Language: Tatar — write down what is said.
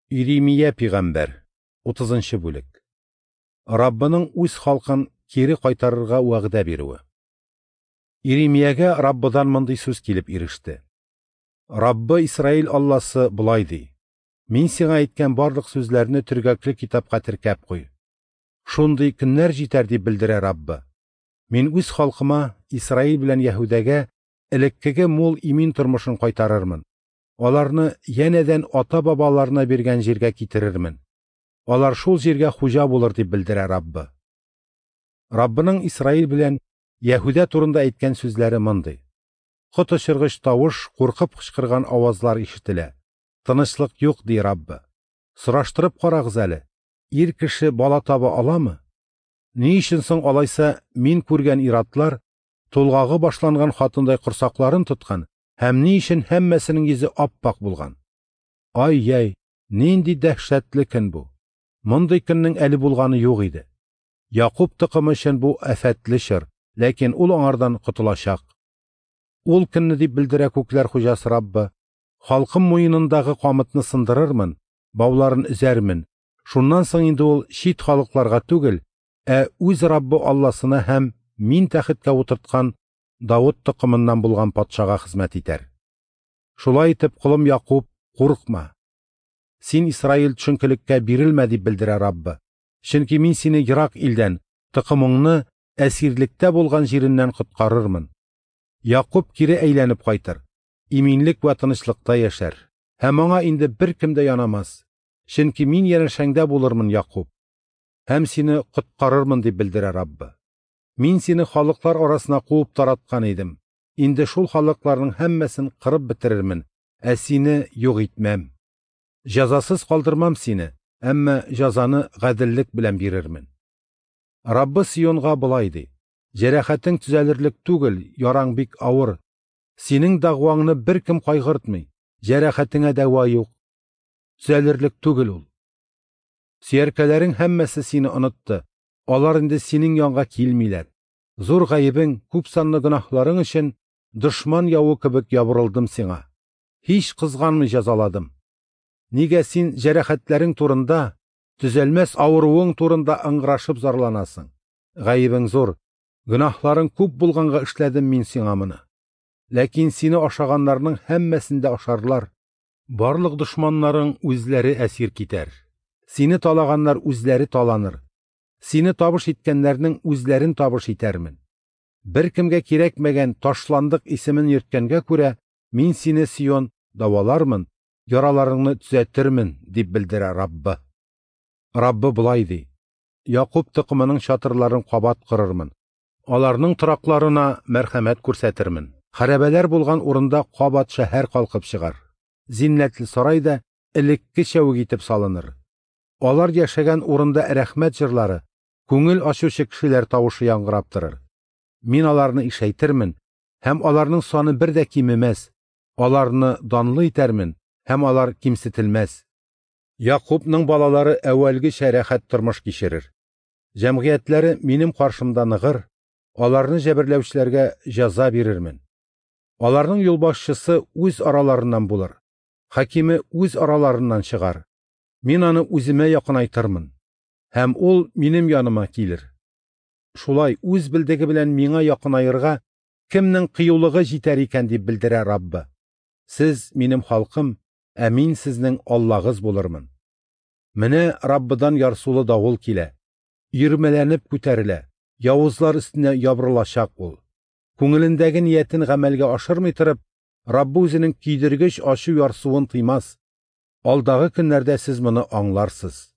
Иремия пигамбәр, 30 бүлек. Раббының үз халкын кире кайтарырга вәгъдә бирүе. Иремиягә Раббыдан мондый сүз килеп иреште. Раббы Исраил Алласы болай ди: Мин сиңа әйткән барлык сүзләрне төргәкле китапка теркәп куй. Шундый көннәр җитәр дип белдерә Раббы. Мин үз халкыма, Исраил белән Яһүдәгә элеккеге мул имин тормышын кайтарырмын. Аларны янәдән ата-бабаларына биргән җиргә китерермен. Алар шул җиргә хуҗа булыр дип белдерә Раббы. Раббының Исраил белән Яһүдә турында әйткән сүзләре мондый: Коточыргыч тавыш, куркып кычкырган авазлар ишетелә. Тынычлык юк, ди Раббы. Сораштырып карагыз әле, ир кеше бала таба аламы? Ни өчен соң алайса мин күргән иратлар тулгагы башланган хатындай корсакларын тоткан һәм ни өчен һәммәсенең йөзе ап-ак булган? Ай-яй, нинди дәһшәтле көн бу! Мондый көннең әле булганы юк иде. Якуб токымы өчен бу афәтле чор, ләкин ул аңардан котылачак. Ул көнне дип белдерә күкләр хуҗасы Раббы, халкым муенындагы камытны сындырырмын, бауларын өзәрмен. Шуннан соң инде ул чит халыкларга түгел, ә үз Раббы Алласына һәм мин тәхеткә утырткан Давыт токымыннан булган патшага хезмәт итәр. Шулай итеп, колым Якуб, курыкма. Син Исраил төшенкелеккә бирелмә дип белдерә Раббы. Чөнки мин сине ерак илдән, токымыңны әсирлектә булган җиреннән коткарырмын. Якуб кире әйләнеп кайтыр, иминлек вә тынычлыкта яшәр. Һәм аңа инде беркем дә янамас. Чөнки мин янәшәңдә булырмын, Якуб. Һәм сине коткарырмын дип белдерә Раббы. Мин сине халыклар арасына куып тараткан идем. Инде шул халыкларның һәммәсен кырып бетерермен, ә сине юк итмәм. Җәзасыз калдырмам сине, әмма җәзаны гаделлек белән бирермен. Раббы Сионга болай ди: Җәрәхәтең төзәлерлек түгел, яраң бик авыр. Синең дәгъваңны беркем кайгыртмый, җәрәхәтеңә дәва юк. Төзәлерлек түгел ул. Сөяркәләрең һәммәсе сине онытты. Алар инде синең янга килмиләр. Зур гаебең, күп санлы гөнаһларың өчен дошман явы кебек ябырылдым сиңа. Һич кызганмый җәзаладым. Нигә син җәрәхәтләрең турында, төзәлмәс авыруың турында ыңгырашып зарланасың? Гаебең зур, гөнаһларың күп булганга эшләдем мин сиңа моны. Ләкин сине ашаганнарның һәммәсен дә ашарлар. Барлык дошманнарың үзләре әсир китәр. Сине талаганнар үзләре таланыр. Сине табыш иткәннәрнең үзләрен табыш итәрмен. Беркемгә кирәкмәгән ташландык исемен йөрткәнгә күрә, мин сине, Сион, давалармын, яраларыңны төзәтермен, дип белдерә Раббы. Раббы болай ди: Якуб токымының чатырларын кабат корырмын. Аларның торакларына мәрхәмәт күрсәтермен. Хәрабәләр булган урында кабат шәһәр калкып чыгар. Зиннәтле сарай да элекке чәүек итеп салыныр. Алар яшәгән урында рәхмәт җырлары, күңел ачучы кешеләр тавышы яңгырап торыр. Мин аларны ишәйтермен, һәм аларның саны бер дә кимемәс. Аларны данлы итәрмен, һәм алар кимсетелмәс. Якубның балалары әүвәлгечә рәхәт тормыш кичерер. Җәмгыятьләре минем каршымда ныгыр, аларны җәберләүчеләргә җәза бирермен. Аларның юлбашчысы үз араларыннан булыр, хакиме үз араларыннан чыгар. Мин аны үземә якынайтырмын, һәм ул минем яныма килер. Шулай үз белдеге белән миңа якынаерга кемнең кыюлыгы җитәр икән дип белдерә Раббы. Сез минем халкым, ә мин сезнең Аллагыз булырмын. Менә Раббыдан ярсулы давыл килә, өермәләнеп күтәрелә, явызлар өстенә ябырылачак ул. Күңелендәге ниятен гамәлгә ашырмый торып, Раббы үзенең көйдергеч ачу ярсуын тыймас. Алдагы көннәрдә сез моны аңларсыз.